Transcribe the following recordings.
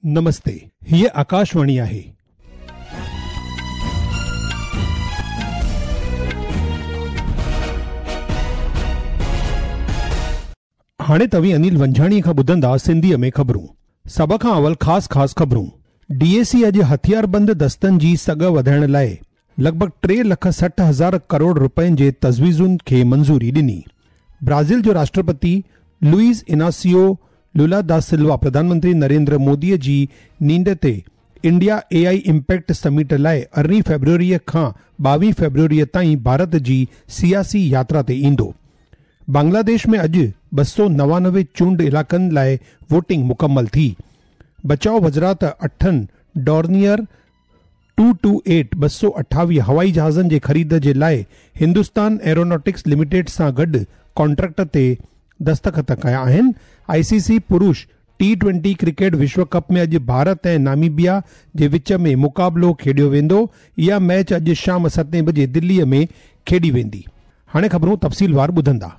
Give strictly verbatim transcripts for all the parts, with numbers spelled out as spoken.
नमस्ते, हीअ आकाशवाणी आहे। हाणे तव्हीं अनिल वंझाणी खां ॿुधंदा सिंधीअ में ख़बरूं। सभ खां अवल ख़ासि ख़ासि ख़बरूं। डीएसी अॼु हथियारबंद दस्तनि जी सघ वधाइण लाइ लॻभॻि टे लख सठि हज़ार करोड़ रुपयनि जे तजवीज़ुनि खे मंज़ूरी ॾिनी। ब्राज़ील जो राष्ट्रपति लुईस इनासियो लुला दा सिल्वा प्रधानमंत्री नरेंद्र मोदीअ जी नींड ते इंडिया एआई इम्पैक्ट समिट लाइ अरिड़हीं फेब्रुअरीअ खां ॿावीह फेब्रुअरीअ ताईं भारत जी सियासी यात्रा ते ईंदो। बांग्लादेश में अॼु ॿ सौ नवानवे चूंड इलाइक़नि लाइ वोटिंग मुकमल थी। बचाव वज़ारत अठनि डॉर्नियर टू टू एट ॿ सौ अठावीह हवाई जहाज़नि जे ख़रीद जे लाइ हिंदुस्तान एरोनॉटिक्स लिमिटेड सां गॾु कॉन्ट्रैक्ट ते दस्तख़त कया आहिनि। आईसीसी पुरुष टी ट्वेंटी क्रिकेट विश्व कप में अॼु भारत ऐं नामीबिया जे विच में मुक़ाबिलो खेॾियो वेंदो। इहा मैच अॼु शाम सतें बजे दिल्लीअ में खेॾी वेंदी। हाणे ख़बरूं तफ़सीलवार ॿुधंदा।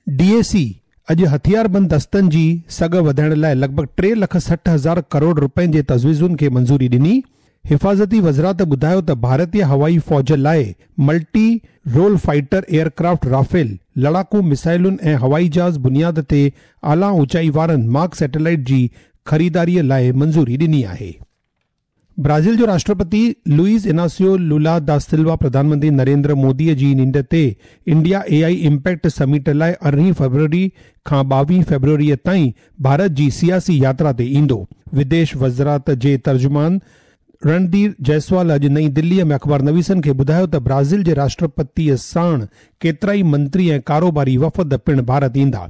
डीएसी अॼु हथियारबंद दस्तनि जी सघ वधाइण लाइ लॻभॻि टे लख सठि हज़ार करोड़ रुपयनि जे तजवीज़ुनि खे मंज़ूरी ॾिनी। हिफाज़ती वज़ारत ॿुधायो त भारतीय हवाई फ़ौज लाइ multi role fighter aircraft Rafale, लड़ाकू मिसाइलुनि ऐं हवाई जहाज़ बुनियाद ते आला ऊंचाई वारनि मार्क सैटेलाइट जी ख़रीदारीअ लाइ मंज़ूरी ॾिनी आहे। ब्राज़ील जो राष्ट्रपति लुईस इनासियो लुला दा सिल्वा प्रधानमंत्री नरेंद्र मोदीअ जी नींड ते इंडिया एआई इम्पैक्ट समिट लाइ अरिड़हीं फरवरी खां ॿावीह फेब्रुअरीअ ताईं भारत जी सियासी यात्रा ते ईंदो। विदेश वज़ारत जे तर्जुमान रणधीर जायसवाल अॼु नई दिल्लीअ में अख़बार नवीसनि खे ॿुधायो त ब्राज़ील जे राष्ट्रपतीअ साण केतिरा ई मंत्री ऐं कारोबारी वफ़द पिणु भारत ईंदा।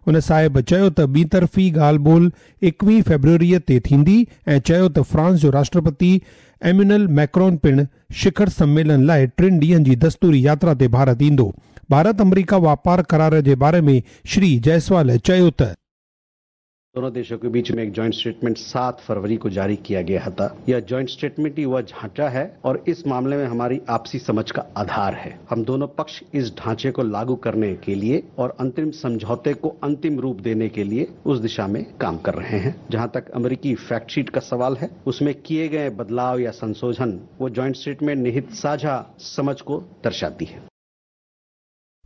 उन साहिब चयो त ॿी तरफ़ी ॻाल्हि ॿोल एकवीह फेब्रुअरीअ ते थींदी ऐं चयो त फ्रांस जो राष्ट्रपति एम्यूनल मैक्रोन पिणु शिखर सम्मेलन लाइ टिनि ॾींहनि जी दस्तूरी यात्रा ते भारत ईंदो। भारत अमरीका वापार करार जे बारे में श्री जायसवाल चयो त दोनों देशों के बीच में एक जॉइंट स्टेटमेंट सात फरवरी को जारी किया गया था। यह जॉइंट स्टेटमेंट ही वह ढांचा है और इस मामले में हमारी आपसी समझ का आधार है। हम दोनों पक्ष इस ढांचे को लागू करने के लिए और अंतिम समझौते को अंतिम रूप देने के लिए उस दिशा में काम कर रहे हैं। जहां तक अमेरिकी फैक्ट शीट का सवाल है, उसमें किए गए बदलाव या संशोधन वो जॉइंट स्टेटमेंट निहित साझा समझ को दर्शाती है।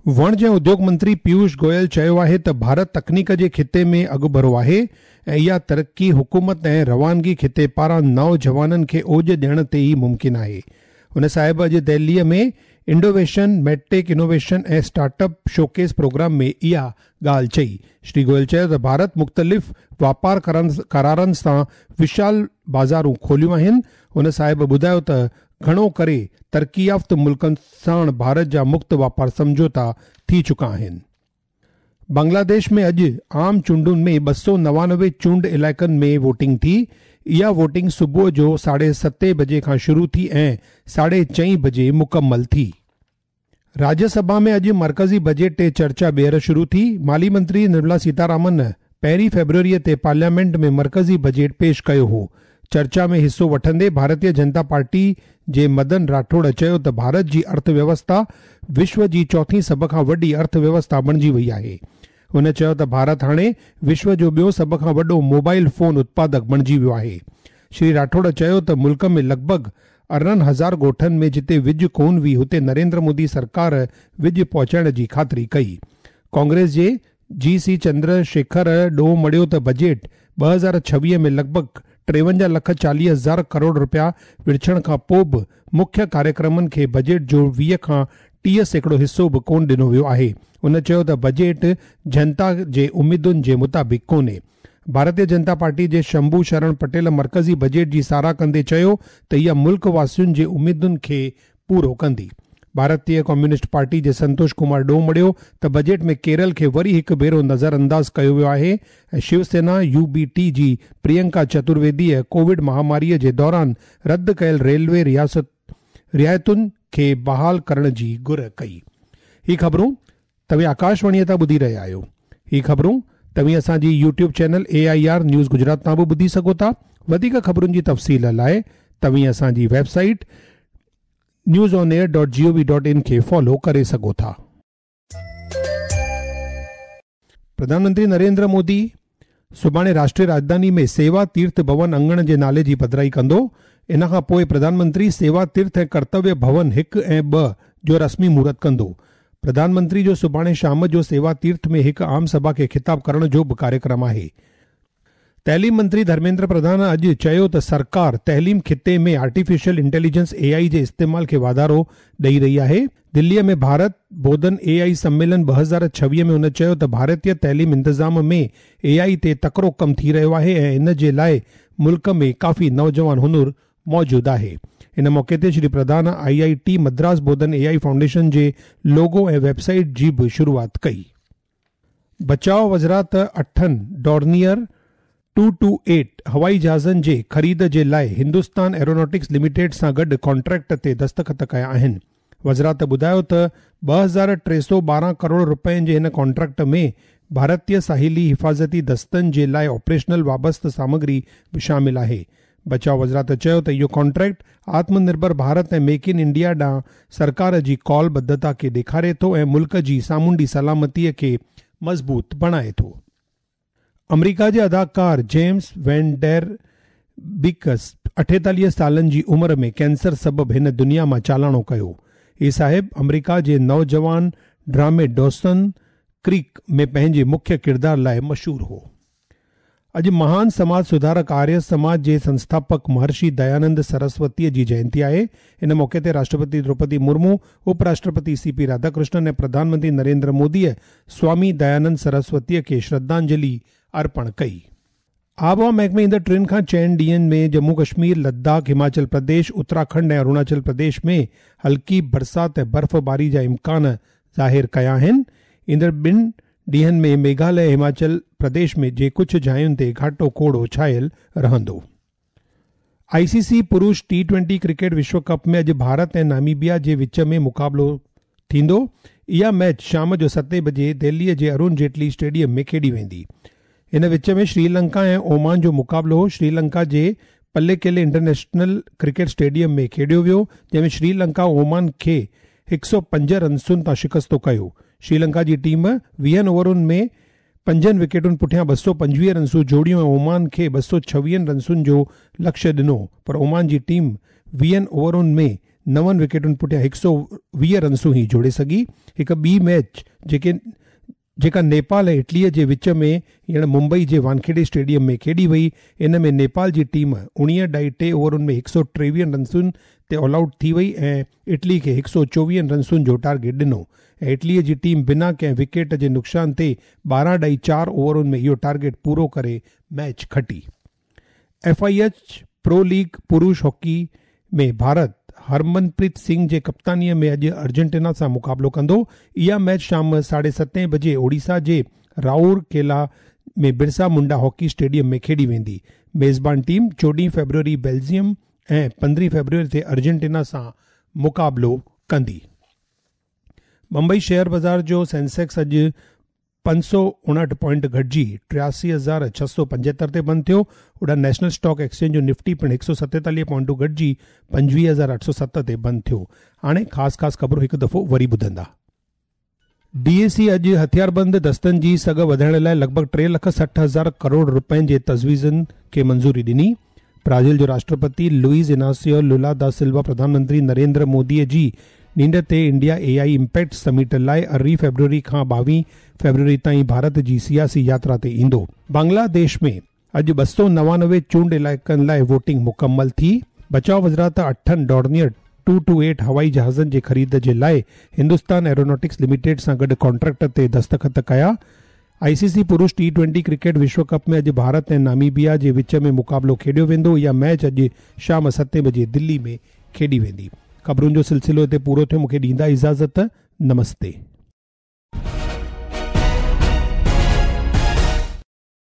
वणज ऐं उद्योग मंत्री पीयूष गोयल चयो आहे त भारत तकनीक जे खिते में अॻुभरो आहे ऐं इहा तरक़ी हुकूमत ऐं रवानगी खिते पारां नौजवाननि खे ओज ॾियण ते ई मुमकिन आहे। हुन साहिब अॼु दिल्लीअ में इंडोवेशन, मेडटेक इनोवेशन ऐं स्टार्टअप शोकेस प्रोग्राम में इहा ॻाल्हि चई। श्री गोयल चयो त भारत मुख़्तलिफ़ वापार करारनि सां विशाल बाज़ारूं खोलियूं आहिनि। हुन साहिब ॿुधायो त घणो करे तरक़ी याफ़्त मुल्कनि साण भारत जा मुक्त वापार सम्झौता थी चुका आहिनि। बांग्लादेश में अॼु आम चूंडुनि में ॿ सौ नवानवे चूंड इलाइक़नि में वोटिंग थी। इहा वोटिंग सुबुह जो साढे सतें बजे खां शुरू थी ऐं साढे चईं बजे मुकमल थी। राज्यसभा में अॼु मर्कज़ी बजट ते चर्चा ॿीहर शुरू थी। माली मंत्री निर्मला सीतारामन पहिरीं फेब्रुअरीअ ते पार्लियामेंट में मर्कज़ी बजट पेश कयो हो। चर्चा में हिसो वठंदे भारतीय जनता पार्टी जे मदन राठौड़ चयो त भारत जी अर्थव्यवस्था विश्व जी चौथी सभ खां वॾी अर्थव्यवस्था बणिजी वई आहे। हुन चयो त भारत हाणे विश्व जो ॿियो सभ खां वॾो मोबाइल फ़ोन उत्पादक बणिजी वियो आहे। श्री राठौड़ चयो त मुल्क में लॻभॻि अरिड़हं हज़ार ॻोठनि में जिते विज कोन हुई हुते नरेंद्र मोदी सरकार विज पहुचाइण जी ख़ातिरी कई। कांग्रेस जे जी सी चंद्रशेखर ॾोह मढ़ियो त बजट ॿ हज़ार छवीह में लॻभॻि टेवंजाह लख चालीह हज़ार करोड़ रुपया विरछण खां पोइ बि मुख्य कार्यक्रमनि खे बजट जो वीह खां टीह सैकड़ो हिसो बि कोन ॾिनो वियो आहे। हुन चयो त बजट जनता जे उम्मीदुनि जे मुताबिक़ कोन्हे। भारतीय जनता पार्टी जे शंभू शरण पटेल मर्कज़ी बजट जी साराह कंदे चयो त इहा मुल्क वासियुनि जे उम्मीदुनि खे पूरो कंदी। भारतीय कम्युनिस्ट पार्टी जे संतोष कुमार ॾोह मढ़ियो त बजट में केरल खे वरी हिकु भेरो नज़रअंदाज़ कयो वियो आहे ऐं शिवसेना यूबीटी जी प्रियंका चतुर्वेदीअ कोविड महामारीअ जे दौरान रद्द कयल रेलवे रियासत रियायतुनि खे बहाल करण जी घुर कई। ही ख़बरूं तव्हीं आकाशवाणीअ तां ॿुधी रहिया आहियो। ही ख़बरूं तव्हीं असांजी YouTube channel A I R news Gujarat तां बि ॿुधी सघो था। वधीक ख़बरुनि जी तफ़सील लाइ तव्हीं असांजी website news on air dot G O V dot in खे फॉलो करे सघो था। प्रधानमंत्री नरेंद्र मोदी सुभाणे राष्ट्रीय राजधानी में सेवा तीर्थ भवन अंगण जे नाले जी पधराई कंदो। इन खां पोइ प्रधानमंत्री सेवा तीर्थ ऐं कर्तव्य भवन हिकु ऐं ॿ जो रस्मी मुहूर्त कंदो। प्रधानमंत्री जो सुभाणे शाम जो सेवा तीर्थ में हिकु आम सभा खे ख़िताब करण जो बि कार्यक्रम आहे। तइलीम मंत्री धर्मेंद्र प्रधान अॼु चयो त सरकार तइलीम खिते में आर्टिफिशियल इंटेलिजेंस ए आई जे इस्तेमाल खे वाधारो ॾेई रही आहे। दिल्लीअ में भारत बोधन ए आई सम्मेलन ॿ हज़ार छवीह में हुन चयो त भारतीय तइलीम इंतज़ाम में ए आई ते तकिड़ो कमु थी रहियो आहे ऐं इन जे लाइ मुल्क में काफ़ी नौजवान हुनर मौजूदु आहे। इन मौक़े ते Shri Pradhan I I T Madras Bodhan A I foundation जे लोगो ऐं वेबसाइट जी बि शुरूआत कई। बचाव वज़ारत अठनि डॉर्नियर टू टू एट हवाई जहाज़नि जे ख़रीद जे लाइ हिंदुस्तान एरोनॉटिक्स लिमिटेड सां गॾु कॉन्ट्रैक्ट ते दस्तख़त कया आहिनि। वज़ारत ॿुधायो त ॿ हज़ार टे सौ ॿारहं करोड़ रुपयनि जे हिन कॉन्ट्रैक्ट में भारतीय साहिली हिफ़ाज़ती दस्तनि जे लाइ ऑपरेशनल वाबस्ता सामग्री बि शामिल आहे। बचाव वज़ारत चयो त इहो कॉन्ट्रैक्ट आत्मनिर्भर भारत ऐं मेक इन इंडिया ॾांहुं सरकार जी कॉलबद्धता खे ॾेखारे थो ऐं मुल्क जी सामुंडी सलामतीअ खे मज़बूत बणाए थो। अमरीका जे अदाकार जेम्स वैन डेर बिकस अठेतालीह सालनि जी उमिरि में कैंसर सबबि हिन दुनिया मां चालाणो कयो। ही साहिब अमरीका जे नौजवान ड्रामे डॉसन क्रीक में पंहिंजे मुख्य किरदार लाइ मशहूर हो। अॼु महान समाज सुधारक आर्य समाज जे संस्थापक महर्षि दयानंद सरस्वतीअ जी जयंती आहे। इन मौक़े ते राष्ट्रपति द्रौपदी मुर्मू, उपराष्ट्रपति सी पी राधाकृष्णन ऐं प्रधानमंत्री नरेंद्र मोदीअ स्वामी दयानंद सरस्वतीअ खे श्रद्धांजलि अर्पण कई। आबहावा महकमे ईंदड़ टिनि खां चइनि ॾींहंनि में जम्मू कश्मीर, लद्दाख, हिमाचल प्रदेश, उत्तराखंड ऐं अरुणाचल प्रदेश में हल्की बरसात ऐं बर्फ़बारी जा इम्कान ज़ाहिर कया आहिनि। ईंदड़ ॿिनि ॾींहंनि में मेघालय, हिमाचल प्रदेश में जे कुझु जायुनि ते घाटो कोड़ो छायल रहंदो। आईसीसी पुरुष टी ट्वेंटी क्रिकेट विश्व कप में अॼु भारत ऐं नामीबिया जे विच में मुक़ाबिलो थींदो। इहा मैच शाम जो सतें बजे दिल्लीअ जे अरुण जेटली स्टेडियम में खेॾी वेंदी। इन विच में श्रीलंका ऐं ओमान जो मुक़ाबिलो श्रीलंका जे पल्लेकेले इंटरनेशनल क्रिकेट स्टेडियम में खेॾियो वियो, जंहिंमें श्रीलंका ओमान खे हिकु सौ पंज रनसुनि तां शिकस्तो कयो। श्रीलंका जी टीम वीहनि ओवरुनि में पंजनि विकेटुनि पुठियां ॿ सौ पंजवीह रनसूं जोड़ियूं ऐं ओमान खे ॿ सौ छवीहनि रनसुनि जो लक्ष्य ॾिनो, पर ओमान जी टीम वीहनि ओवरुनि में नवनि विकेटुनि पुठियां हिकु सौ वीह रनसूं ई जोड़े सघी। हिकु ॿी मैच जेके जेका नेपाल ऐं इटलीअ जे विच में हींअर मुंबई जे वानखेड़े स्टेडियम में खेॾी वई, इन में नेपाल जी टीम उणिवीह ॾाई टे ओवरुनि में हिकु सौ टेवीहनि रनसुनि ते ऑल आउट थी वई ऐं इटली खे हिकु सौ चोवीहनि रनसुनि जो टारगेट ॾिनो ऐं इटलीअ जी टीम बिना कंहिं विकेट जे नुक़सान ते ॿारहं ॾाई चारि ओवरुनि में इहो टारगेट पूरो करे मैच खटी। F I H pro league पुरुष हॉकी में भारत हरमनप्रीत सिंह जे कप्तानीअ में अॼु अर्जेंटीना सां मुक़ाबिलो कंदो। इहा मैच शाम साढे सतें बजे ओडिशा जे राउरकेला में बिरसा मुंडा हॉकी स्टेडियम में खेॾी वेंदी। मेज़बान टीम चोॾहीं फेब्रुअरी बेल्जियम ऐं पंद्रहीं फेब्रुअरी ते अर्जेंटीना सां मुक़ाबिलो कंदी। मुंबई शेयर बाज़ार जो सेंसेक्स अॼु पंज सौ उणहठि पॉइंट घटिजी टियासी हज़ार छह सौ पंजेहतरि ते बंदि थियो। होॾां नेशनल स्टॉक एक्सचेंज जो निफ्टी पिणु हिकु सौ सतेतालीह पॉइंटूं घटिजी पंजवीह हज़ार अठ सौ सत ते बंदि थियो। हाणे ख़ासि ख़ासि ख़बरूं हिकु दफ़ो वरी ॿुधंदा। डीएसी अॼु हथियारबंद दस्तनि जी सघ वधाइण लाइ लॻभॻि टे लख सठि हज़ार करोड़ रुपयनि जे तजवीज़ुनि खे मंज़ूरी ॾिनी। ब्राज़ील जो राष्ट्रपति लुइस इनासियो लुला दा सिल्वा प्रधानमंत्री नरेंद्र मोदीअ जी नींड ते इंडिया ए आई इम्पैक्ट समिट लाइ अरिड़हीं फेब्रुअरी खां ॿावीह फेब्रुअरी ताईं भारत जी सियासी यात्रा ते ईंदो। बांग्लादेश में अॼु ॿ सौ नवानवे चूंड इलाइक़नि लाइ वोटिंग मुकमल थी। बचाव वज़ारत अठनि डॉर्नियर टू टू एट हवाई जहाज़नि जे ख़रीद जे लाइ हिंदुस्तान एरोनॉटिक्स लिमिटेड सां गॾु कॉन्ट्रैक्ट ते दस्तख़त कया। आईसीसी पुरुष टी ट्वेंटी क्रिकेट विश्व कप में अॼु भारत ऐं नामीबिया जे विच में मुक़ाबिलो खेॾियो वेंदो। इहा मैच अॼु शाम सतें बजे दिल्ली में खेॾी वेंदी। ख़बरुनि जो सिलसिलो हिते पूरो थियो। मूंखे ॾींदा इजाज़त। नमस्ते।